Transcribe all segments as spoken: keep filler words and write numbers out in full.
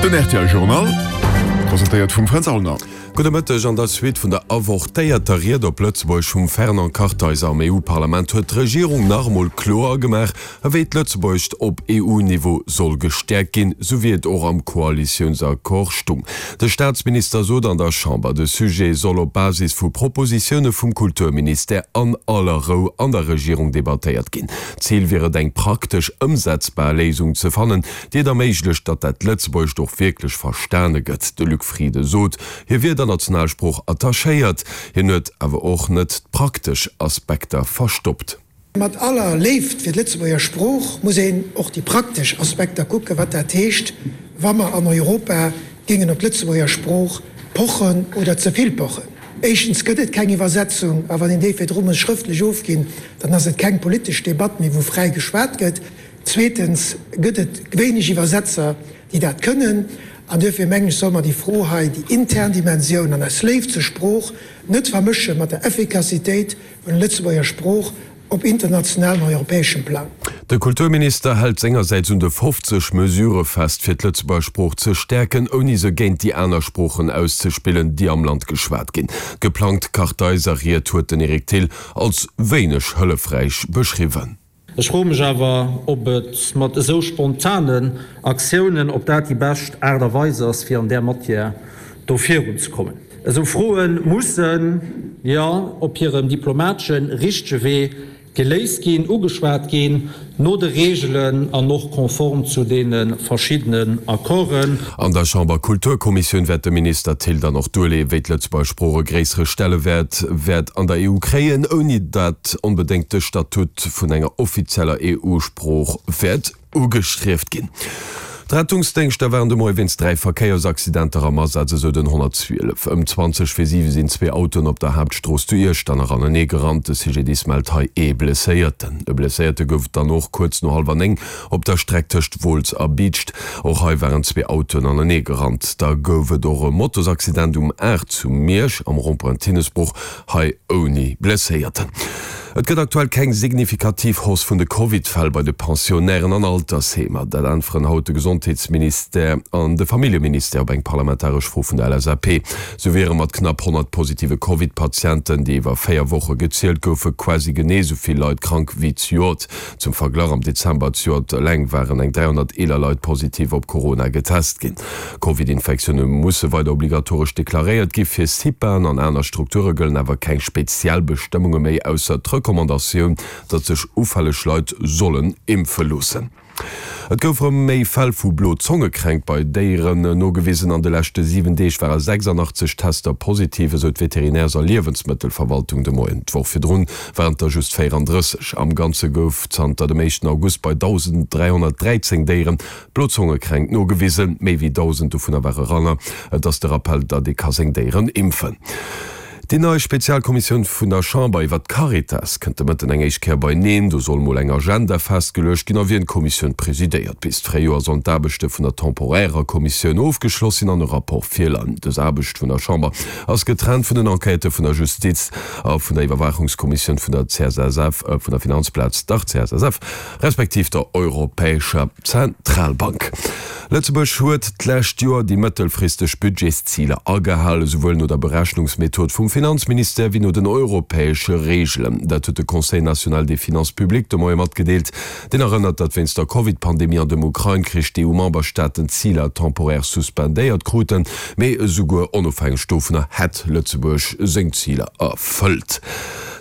Den R T L Journal, presentéiert vum Fränz Aulner. Gudde Mëtteg. An der Suite vun der avortéierter Ried op Lëtzebuergesch vum Fernand Kartheiser am E U-Parlament huet d'Regierung nach emol kloer gemaach, ewéi d'Lëtzebuergescht op E U-Niveau soll gestäerkt ginn, sou wéi et och am Koalitiounsaccord stung. De Staatsminister sot an der Chamber, de Sujet soll op Basis vu Propositioune vum Kulturministère an aller Rou an der Regierung debattéiert ginn. Zil wier et eng praktesch ëmsetzbar Léisung ze fannen, déi et erméiglecht, datt dat Lëtzebuergescht och wierklech verstane gëtt. De Luc Frieden sot, hie wier der Nationalsprooch attachéiert, hien huet awer och net d'praktesch Aspekter verstoppt. Mat aller Léift fir d'Lëtzebuerger Sprooch muss een och déi praktesch Aspekter kucken, wat dat heescht, wa mer an Europa géingen op d'Lëtzebuerger Sprooch pochen oder ze vill pochen. Éischtens gëtt et keng Iwwersetzung, a wann een déi virdru muss schrëftlech ofginn, dann ass et keng politesch Debatt méi, wou fräi geschwat gëtt. Zweetens gëtt et wéineg Iwwersetzer, déi dat kënnen. An duerfir mengen ech, solle mer déi Fro hei, déi intern Dimensioun an eis Léift zur Sprooch, net vermësche mat der Effikassitéit vun der Lëtzebuerger Sprooch op internationalem an europäeschem Plang. De Kulturminister hält sengersäits un de fofzeg Mesurë fest, fir d'Lëtzebuerger Sprooch ze stäerken, ouni se géint déi aner Sproochen auszespillen, déi am Land geschwat ginn. D'geplangt Kartheiser-Ried huet den Eric Thill als wéineg hëllefräich beschriwwen. Ech froe mech awer, ob et mat esou spontanen Aktiounen, ob dat déi bescht Aart a Weis ass, fir an där Matière do virunzekommen. Esou Froe mussen, jo, op hirem diplomateschen, richtege Wee geléist ginn, ugeschwat ginn, no de Reegelen an och konform zu deene verschiddenen Accorden. An der Chamber-Kulturkommissioun wäert de Minister Thill dann och duerleeën, wéi d'Lëtzebuerger Sprooch e gréissere Stellewäert wäert an der E U kréien, ouni datt onbedéngt de Statut vun enger offizieller E U-Sprooch wäert ugestrieft ginn. D'Rettungsdéngschter waren de Moie wéinst dräi Verkéiersaccidenter am Asaz, esou den honnertzwielef. Ëm zwanzeg vir siwe sinn zwee Autoen op der Haaptstrooss zu Iechternach anenee gerannt. De C G D I S mellt hei ee Blesséierten. E Blesséierte gouf et dann och kuerz no hallwer néng op der Streck tëscht Wolz a Biicht. Och hei waren zwee Autoen anenee gerannt. Da gouf et och e Motosaccident um aacht zu Miersch am Rond-point Tinnesbruch, hei ouni Blesséierten. Et gëtt aktuell keng signifikativ Hausse vun de Covid-Fäll bei de Pensionnairen an Altersheemer. Dat äntweren haut de Gesondheetsministère an de Familljeministère op eng parlamentaresch Fro vun der L S A P. Sou wiere mat knapp honnert positive Covid-Patienten, déi iwwer véier Woche gezielt goufen, quasi genee esou vill Leit krank wéi zejoert. Zum Verglach, am Dezember zejoert eleng waren eng dräihonnert eeler Leit positiv op Corona getest ginn. Covid-Infektioune musse weider obligatoresch deklaréiert gi. Fir CIPAen an aner Strukture gëllen awer keng speziell Bestëmmunge méi, ausser d'Recommandatioun, datt sech ufälleg Leit sollen impfe loossen. Et gouf rëm méi Fäll vu Blo-Zonge-Kränkt bei Déieren nogewisen. An de leschte siwen Deeg ware sechsandachtzeg Tester positiv, esou d'Veterinärs a Liewensmëttelverwaltung de Moien. D'Woch virdrun waren et der just véierandrësseg. Am Ganze gouf zanter dem éischten August bei dausenddräihonnertdräizéng Déieren d'Blo-Zonge-Kränkt nogewisen. Méi wéi dausend dovunner ware Ranner. Et ass de Rappell, datt ee ka seng Déieren impfen. Déi nei Spezialkommissioun vun der Chamber iwwer d'Caritas kënnt de Mëtten eng éischt Kéier beineen. Do soll mol eng Agenda festgeluecht ginn a wien d'Kommissioun presidéiert. Bis d'Fréijoer sollen d'Aarbechte vun der temporärer Kommissioun ofgeschloss sinn an e Rapport virleien. Dës Aarbecht vun der Chamber ass getrennt vun den Enquêtë vun der Justiz a vun der Iwwerwaachungskommissioun vun der C S S F, vun der Finanzplaz, dach C S S F, respektiv der Europäescher Zentralbank. Lëtzebuerg huet d'lescht Joer déi mëttelfristeg Budgetsziler agehalen, esouwuel no der Berechnungsmethod vum Finanzministère wéi no den europäesche Reegelen. Dat huet de Conseil national des finances publiques de Moie matgedeelt. Deen erënnert, datt wéinst der Covid-Pandemie an dem Ukrain-Krich d'E U-Memberstaaten d'Ziler temporär suspendéiert kruten. Mee esouguer onofhängeg dovunner hätt Lëtzebuerg seng Ziler erfëllt.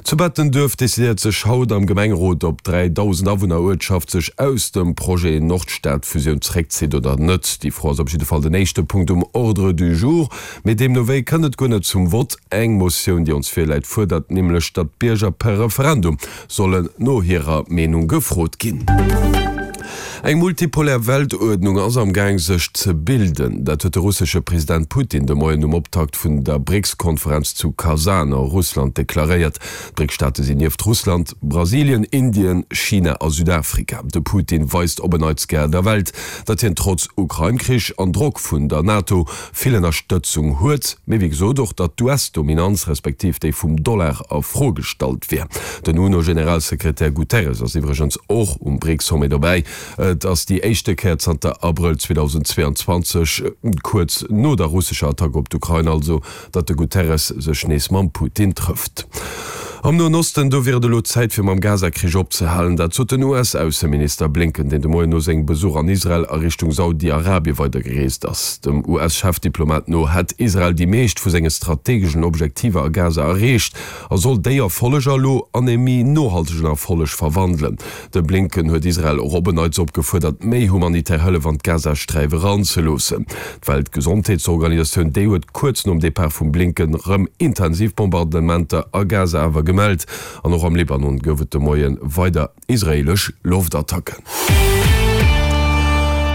Zu Bettenduerf decidéiert sech haut am Gemengerot, ob d'dräidausend Awunner-Uertschaft sech aus dem Projet Nordstad-Fusioun zeréckzitt oder net. Déi Fro ass op jidde Fall den éischte Punkt um Ordre du jour. Mee deemno wéi kënnt et guer net zum Vott. Eng Motioun, déi ons virläit, fuerdert nämlech, datt d'Bierger per Referendum sollen no hirer Meenung gefrot ginn. Eng multipolär Weltuerdnung ass am Gaang sech ze bilden. Dat huet de russesche President Putin de Moien um Optakt vun der BRICS-Konferenz zu Kasan a Russland deklaréiert. D'BRICS-Staate sinn nieft Russland, Brasilien, Indien, China a Südafrika. De Putin weist op en Neits gär der Welt, datt hien trotz Ukrain-Krich an Drock vun der NATO vill Ënnerstëtzung huet, mee wéi gesot och, datt d'U S-Dominanz respektiv déi vum Dollar a Fro gestallt wier. Den UNO-Generalsekretär Guterres ass iwwregens och um BRICS-Sommet dobäi. Et ass déi éischte Kéier zanter Abrëll zweedausendzweeanzwanzeg, kuerz no der russescher Attack op d'Ukrain also, datt de Guterres sech nees mam Putin trëfft. Am Noen Osten, do wier et elo Zäit fir mam Gaza-Krich opzehalen. Dat sot den U S-Ausseminister Blinken, deen de Moien no sengem Besuch an Israel a Richtung Saudi-Arabie weidergereest ass. Dem U S-Chefdiplomat no hätt Israel déi meescht vu senge strategeschen Objektiver a Gaza erreecht a soll déi Erfolleger elo an ee méi nohaltegen Erfolleg verwandelen. De Blinken huet Israel och op en Neits opgefuerdert, méi humanitär Hëllef an d'Gazasträif eranzeloossen. D'Weltgesondheetsorganisatioun, déi huet kuerz nom Depart vum Blinken rëm intensiv Bombardementer a Gaza awer gemellt. An och am Libanon gouf et de Moie weider israeelesch Loftattacken.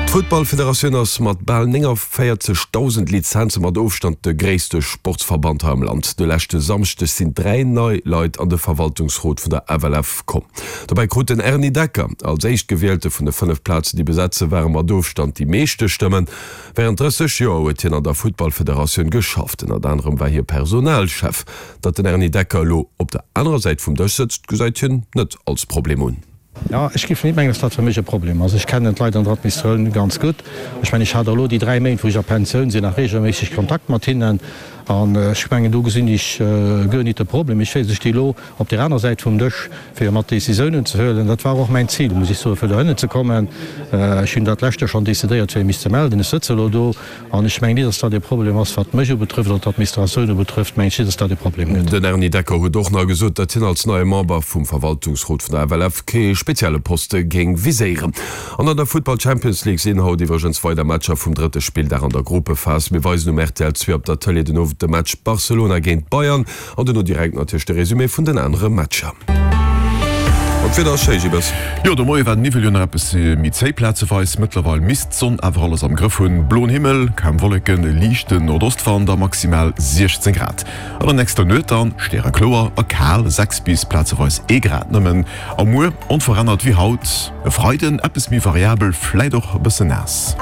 D'Futtballfederatioun ass mat bal nénganvéierzegdausend Lizenze mat Ofstand de gréisste Sportsverband hei am Land. De leschte Samschdeg sinn dräi nei Leit an de Verwaltungsrot vun der F L F komm. Dobäi krut den Erny Decker als Éischtgewielte vun de fënnef Plazen, déi besat ze waren, mat Ofstand déi meeschte Stëmmen. Wärend drësseg Joer huet hien an der Futtballfederatioun geschafft, ënnert anerem war hie Personalchef. Datt den Erny Decker elo op der anerer Säit vum Dësch sëtzt, gesäit hien net als Problem un. Jo, ech géif net mengen, dass dat fir mech e Problem ass. Ech kennen d'Leit an der Administratioun ganz gutt. Ech mengen, ech hat och elo déi dräi Méint, wou ech a Pensioun sinn, nach regelméisseg Kontakt mat hinnen. An ech mengen, do gesinn ech guer nit de Problem. Ech weess, ech sti elo op där aner Säit vum Dësch, fir mat Décisiounen ze huelen. Dat war och mäin Zil, muss ech soen, fir dohinner ze kommen. Ech hunn dat lescht Joer schonn decidéiert, fir mech ze melden. Ech sëtze elo do an ech mengen nit, dass dat e Problem ass, wat mech ubetrëfft oder d'Administratioun ubetrëfft, mengen ech nit, dass dat e Problem gëtt. Den Erny Decker huet och nach gesot, datt hien als neie Member vum Verwaltungsrot vun der F L F kee spezielle Poste géing viséieren. An an der Futtball Champions League sinn haut iwwregens weider Matcher vum drëtte Spilldag an der Gruppephas. Mir weisen um R T L zwee op der Tëlee den Owend de Match Barcelona géint Bayern an dono direkt natierlech de Resumé vun den anere Matcher. An d'Wieder ass schéi, Gilles. Jo, de Moie war den Niwwel jo nach eppes méi zéi plazeweis. Mëttlerweil misst d'Sonn awer alles am Grëff hunn. Bloen Himmel, kaum Wolleken, e liichten Nordostwand a maximal siechzéng Grad. An der nächster Nuet dann stärekloer a kal, sechs bis plazeweis ee Grad nëmmen. A muer onverännert wéi haut. E Freiden eppes méi variabel, fläit och e bëssen naass.